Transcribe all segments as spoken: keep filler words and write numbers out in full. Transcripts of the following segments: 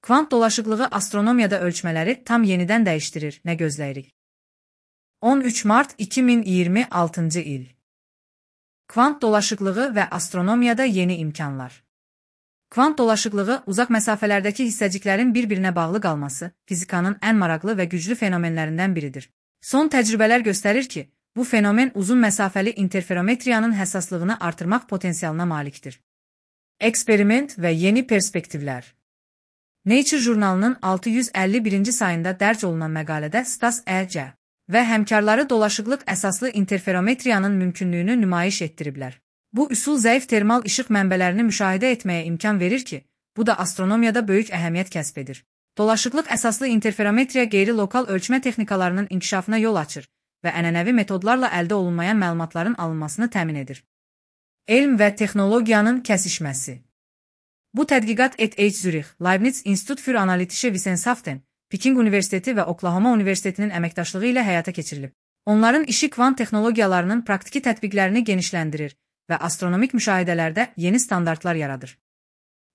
Kvant dolaşıqlığı astronomiyada ölçmələri tam yenidən dəyişdirir, nə gözləyirik? on üç mart iki min iyirmi altıncı il. Kvant dolaşıqlığı və astronomiyada yeni imkanlar. Kvant dolaşıqlığı uzaq məsafələrdəki hissəciklərin bir-birinə bağlı qalması fizikanın ən maraqlı və güclü fenomenlərindən biridir. Son təcrübələr göstərir ki, bu fenomen uzun məsafəli interferometriyanın həssaslığını artırmaq potensialına malikdir. Eksperiment və yeni perspektivlər. Nature jurnalının altı yüz əlli birinci sayında dərc olunan məqalədə Stas E C və həmkarları dolaşıqlıq əsaslı interferometriyanın mümkünlüyünü nümayiş etdiriblər. Bu üsul zəif termal işıq mənbələrini müşahidə etməyə imkan verir ki, bu da astronomiyada böyük əhəmiyyət kəsb edir. Dolaşıqlıq əsaslı interferometriya qeyri-lokal ölçmə texnikalarının inkişafına yol açır və ənənəvi metodlarla əldə olunmayan məlumatların alınmasını təmin edir. Elm və texnologiyanın kəsişməsi. Bu tədqiqat E T H Zürich, Leibniz Institut für Analytische Wissenschaften, Peking Universiteti və Oklahoma Universitetinin əməkdaşlığı ilə həyata keçirilib. Onların işi kvant texnologiyalarının praktiki tətbiqlərini genişləndirir və astronomik müşahidələrdə yeni standartlar yaradır.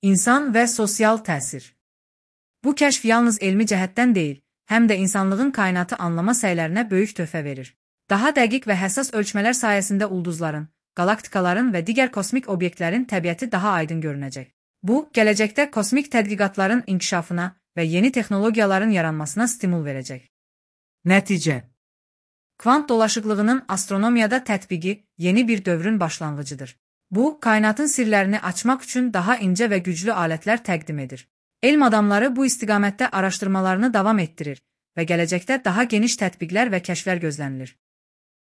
İnsan və sosial təsir. Bu kəşf yalnız elmi cəhətdən deyil, həm də insanlığın kainatı anlama səylərinə böyük töhfə verir. Daha dəqiq və həssas ölçmələr sayəsində ulduzların, galaktikaların və digər kosmik obyektlərin təbiəti daha aydın görünəcək. Bu, gələcəkdə kosmik tədqiqatların inkişafına və yeni texnologiyaların yaranmasına stimul verəcək. Nəticə. Kvant dolaşıqlığının astronomiyada tətbiqi yeni bir dövrün başlanğıcıdır. Bu, kainatın sirlərini açmaq üçün daha incə və güclü alətlər təqdim edir. Elm adamları bu istiqamətdə araşdırmalarını davam etdirir və gələcəkdə daha geniş tətbiqlər və kəşflər gözlənilir.